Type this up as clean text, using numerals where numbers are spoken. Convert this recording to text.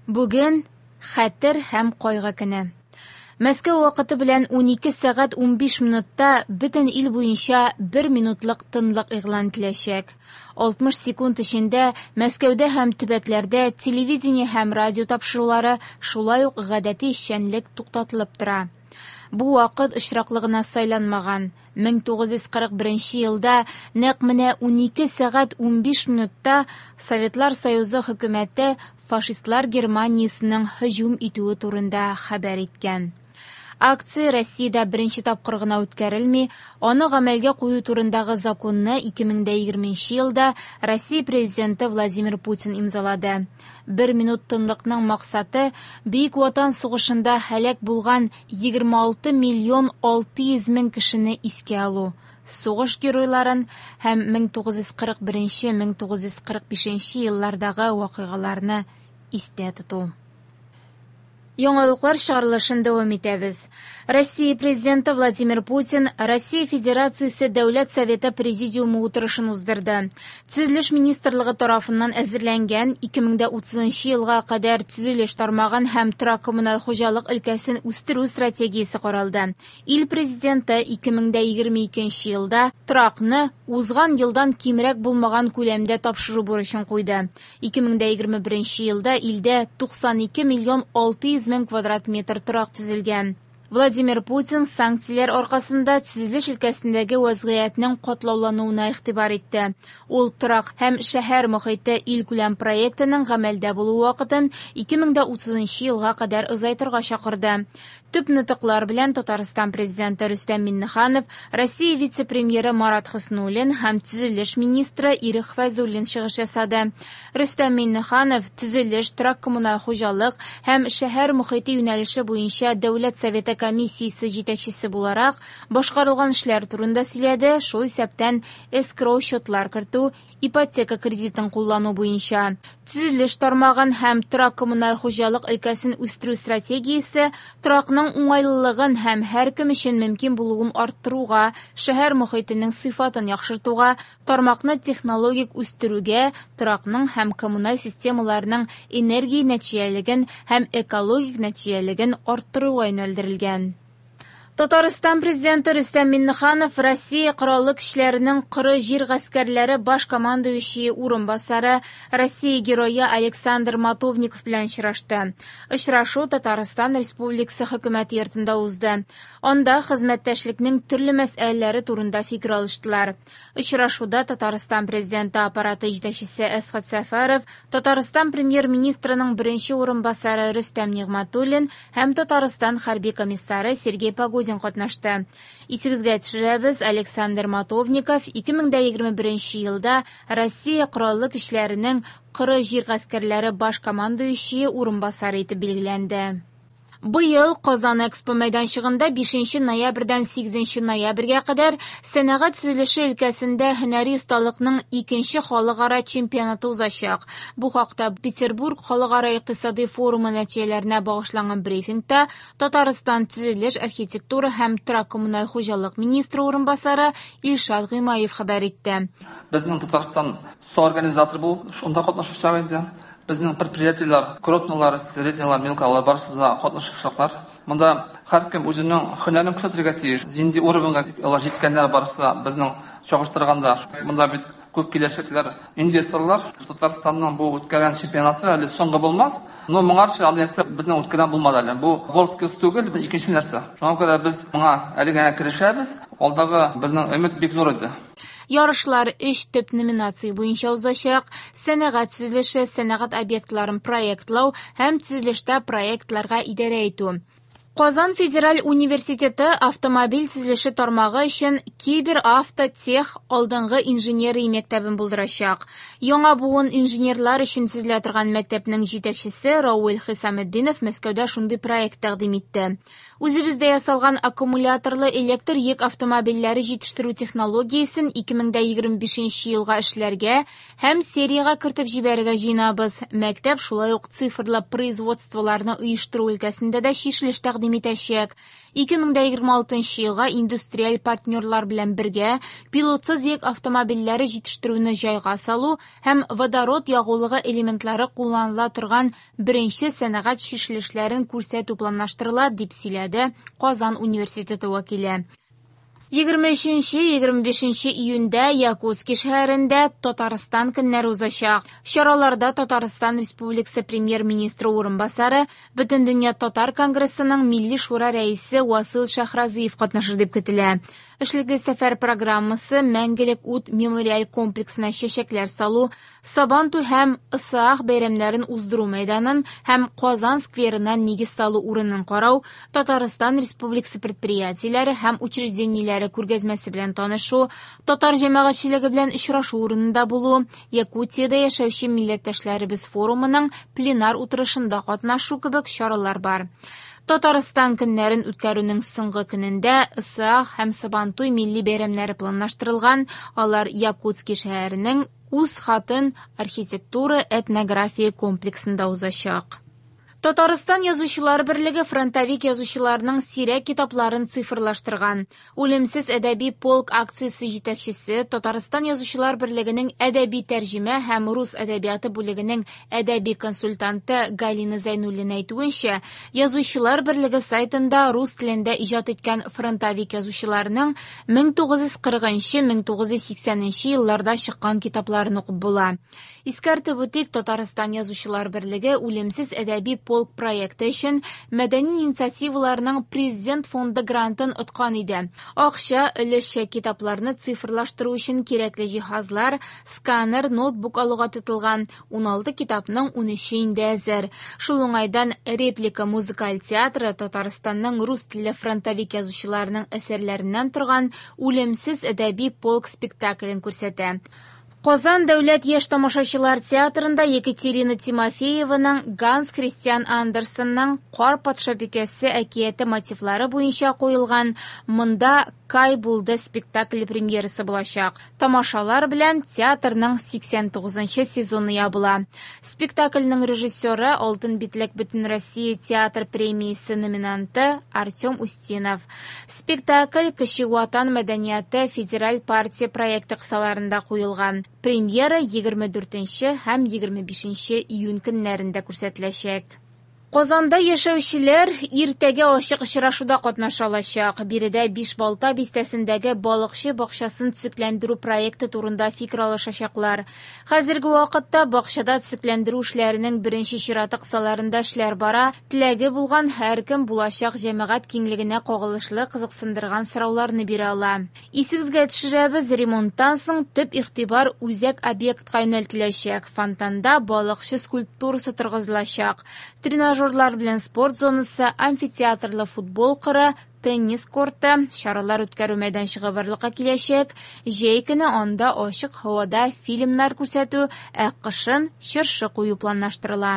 Бүген Хәтер һәм кайгы көне. Мәскәү вакыты белән 12 сәгать 15 минутта бөтен ил буенча бер минутлык тынлык игълан ителәчәк. 60 секунд эчендә Мәскәүдә һәм төбәкләрдә телевидение һәм радио тапшырулары, шулай ук гадәти эшчәнлек туктатылып тора. Бу вакыт очраклы гына сайланмаган. 1941 елда нәкъ менә 12 сәгать 15 минутта Советлар Союзы хөкүмәте фашистлар Германиясенең һөҗүм итүе турында хәбәр иткән. Акция Россиядә беренче тапкыр гына үткәрелми, аны гамәлгә кую турындагы законны 2020 елда Россия Президенты Владимир Путин имзалады. Бер минут тынлыкның максаты Бөек Ватан сугышында һәлак булган 26 миллион 600 мең кешене искә алу, сугыш геройларын һәм 1941-1945 еллардагы вакыйгаларны истә тоту. Яңалыклар чыгарылышын дәвам итәбез. Россия Президенты Владимир Путин Россия Федерациясе Дәүләт Советы Президиумы утырышын уздырды. Төзелеш министрлыгы тарафыннан әзерләнгән 2030 елга кадәр төзелеш тармагын һәм торак-коммуналь хуҗалык өлкәсен үстерү стратегиясе каралды. Ил Президенты 2022 елда торакны узган елдан кимрәк булмаган күләмдә тапшыру бурычын куйды. 2021 елда илдә 92 миллион 600 мең квадрат метр торак төзелгән. Владимир Путин санкцияләр аркасында төзелеш өлкәсендәге вазгыятьнең катлаулануына игътибар итте. Ул торак һәм шәһәр мохите илкүләм проектының гамәлдә булу вакытын 2030 елга кадәр озайтырга чакырды. Төп нотыклар белән Татарстан Президенты Рөстәм Миңнеханов, Россия вице-премьеры Марат Хөснуллин һәм төзелеш министры Ирек Фәйзуллин чыгыш ясады. Рөстәм Миңнеханов төзелеш, торак-коммуналь хуҗалык һәм шәһәр мохите юнәлеше буенча Дәүләт Советы комиссиясе җитәкчесе буларак башкарылган эшләр турында сөйләде, шул исәптән эскроу счетлар кертү, ипотека кредитын куллану буенча. Төзелеш тармагын һәм торак-коммуналь хуҗалык өлкәсен үстерү стратегиясе торакның уңайлылыгын һәм һәркем өчен мөмкин булуын арттыруга, шәһәр мохитенең сыйфатын яхшыртуга, тармакны технологик үстерүгә, торакның һәм коммуналь системаларның энергия нәтиҗәлелеген һәм экологик нәтиҗәлелеген арттыруга юнәлдерелгән. Татарстан Президенты Рөстәм Миңнеханов Россия Кораллы Көчләренең Коры җир гаскәрләре баш командующие урынбасары, Россия Герое Александр Матовников белән очрашты. Очрашу Татарстан Республикасы Хөкүмәте йортында узды. Анда хезмәттәшлекнең төрле мәсьәләләре турында фикер алыштылар. Очрашуда Татарстан Президенты аппараты җитәкчесе Әсхәт Сәфәров, Татарстан Премьер-министрының беренче урынбасары Рөстәм Нигъмәтуллин һәм Татарстан хәрби комиссары Сергей Погозин катнашты. Исегезгә төшерәбез, Александр Матовников 2021 елда Россия Кораллы Көчләренең Коры җир гаскәрләре баш командующие урынбасары итеп билгеләнде. Быел Казан Экспо мәйданчыгында 5 ноябрьдән 8 ноябрьгә кадәр сәнәгать төзелеше өлкәсендә һөнәри осталыкның икенче халыкара чемпионаты узачак. Бу хакта Петербург халыкара икътисади форумы нәтиҗәләренә багышланган брифингта Татарстан төзелеш, архитектура һәм торак-коммуналь хуҗалык министры урынбасары Илшат Гыймаев хәбәр итте. Безнең Татарстан соорганизатор булып шунда катнашучылар инде. Безнең предприятиеләр, крупныйлар, среднийлар, мелкалар барысы да катнашучылар. Монда һәркем үзенең һөнәрен күрсәтергә тиеш. Нинди уровеньга алар җиткәннәр барысы да безнең чагыштырганда. Монда бит күп киләчәкләр инвесторлар. Татарстанның бу үткәргән чемпионаты әле соңгы булмас. Но моңарчы андый нәрсә безнең үткәргән булмады әле. Бу WorldSkills түгел, бу икенче нәрсә. Шуңа күрә без моңа әле генә керешәбез. Алдагы безнең өмет бик зур иде. Ярышлар өч төп номинация буенча узачак: сәнәгать төзелеше, сәнәгать объектларын проектлау һәм төзелештә проектларга идарә итү. Казан федераль университеты автомобиль төзелеше тармагы өчен кибер-автотех алдынгы инженерия мәктәбен булдырачак. Яңа буын инженерлар өчен төзелә торган мәктәпнең җитәкчесе Рауль Хисаметдинов Мәскәүдә шундый проект тәкъдим итте. Үзебездә ясалган аккумуляторлы электр йөк автомобильләре җитештерү технологиясен 2025 елга эшләргә һәм сериягә кертеп җибәрергә җыенабыз. Мәктәп шулай ук цифрлы производстволарны оештыру өлкәсендә дә чишелеш тәкъдим тәкъдим итәчәк. 2026 елга индустриаль партнерлар белән бергә пилотсыз йөк автомобильләре җитештерүне җайга салу һәм водород ягулыгы элементлары кулланыла торган беренче сәнәгать чишелешләрен күрсәтү планлаштырыла, дип сөйләде Казан университеты вәкиле. 23-25 июньдә Якутски шәһәрендә Татарстан көннәре узачак. Чараларда Татарстан Республикасы премьер-министры урынбасары, Бөтендөнья татар конгрессының Милли шура рәисе Васил Шәйхразиев катнашыр дип көтелә. Эшлекле сәфәр программасы Мәңгелек ут мемориаль комплексына чәчәкләр салу, Сабантуй һәм Ысыах бәйрәмнәрен уздыру мәйданын һәм Казан скверына нигез салу урынын карау, Татарстан Республикасы предприятиеләре һәм учреждениеләре күргәзмәсе белән танышу, татар җәмәгатьчелеге белән очрашу урынында булу, Якутиядә яшәүче милләттәшләребез форумының пленар утырышында катнашу кебек чаралар бар. Татарстан көннәрен үткәрүнең соңгы көнендә Ысыах һәм Сабантуй милли бәйрәмнәре планлаштырылган, алар Якутски шәһәренең Үз хатын архитектура-этнография комплексында узачак. Татарстан Язучылар берлеге фронтовик язучыларның сирәк китапларын цифрлаштырган. Үлемсез әдәби полк акциясе җитәкчесе, Татарстан Язучылар берлегенең әдәби тәрҗемә һәм рус әдәбияты бүлегенең әдәби консультанты Галина Зәйнуллина әйтүенчә, Язучылар берлеге сайтында рус телендә иҗат иткән фронтовик язучыларның 1940-1980 елларда чыккан китапларын укып була. Искәртеп үтик, Татарстан Язучылар берлеге Үлемсез әдәби полк проекты өчен мәдәни инициативаларның Президент фонды грантын откан иде. Акча өлешчә китапларны цифрлаштыру өчен кирәкле җиһазлар, сканер, ноутбук алуга тотылган. 16 китапның 13-е инде әзер. Шул уңайдан Реплика музыкаль театры Татарстанның рус телле фронтовик язучыларының әсәрләреннән торган Үлемсез әдәби полк спектаклен күрсәтә. Казан дәүләт яшь тамашачылар театрында Екатерина Тимофееваның Ганс Христиан Андерсенның Кар патшабикәсе әкияте мотивлары буенча куелган Монда Кай булды спектакле премьерасы булачак. Тамашалар белән театрның 89 сезоны ябыла. Спектакльнең режиссеры Алтын битлек Бөтенроссия театр премиясе номинанты Артем Устинов. Спектакль Кече Ватан мәдәнияте федераль партия проекты кысаларында куелган. Премьера 24 һәм 25 июнь көннәрендә күрсәтеләчәк. Казанда яшәүчеләр иртәгә ачык очрашуда катнаша алачак. Биредә Бишбалта бистәсендәге балыкчы бакчасын төзекләндерү проекты турында фикер алышачаклар. Хәзерге вакытта бакчада төзекләндерү эшләренең беренче чираты кысаларында эшләр бара. Теләге булган һәркем булачак җәмәгать киңлегенә кагылышлы кызыксындырган сорауларны бирә ала. Исегезгә төшерәбез, ремонттан соң төп игътибар үзәк объектка юнәлтеләчәк. Фонтанда балыкчы скульптурасы торгызылачак. Тренажерлар белән спорт зонасы, амфитеатрлы футбол кыры, теннис корты, чаралар үткәрү мәйданчыгы барлыкка киләчәк. Җәй көне анда ачык һавада фильмнар күрсәтү, ә кышын чыршы кую планлаштырыла.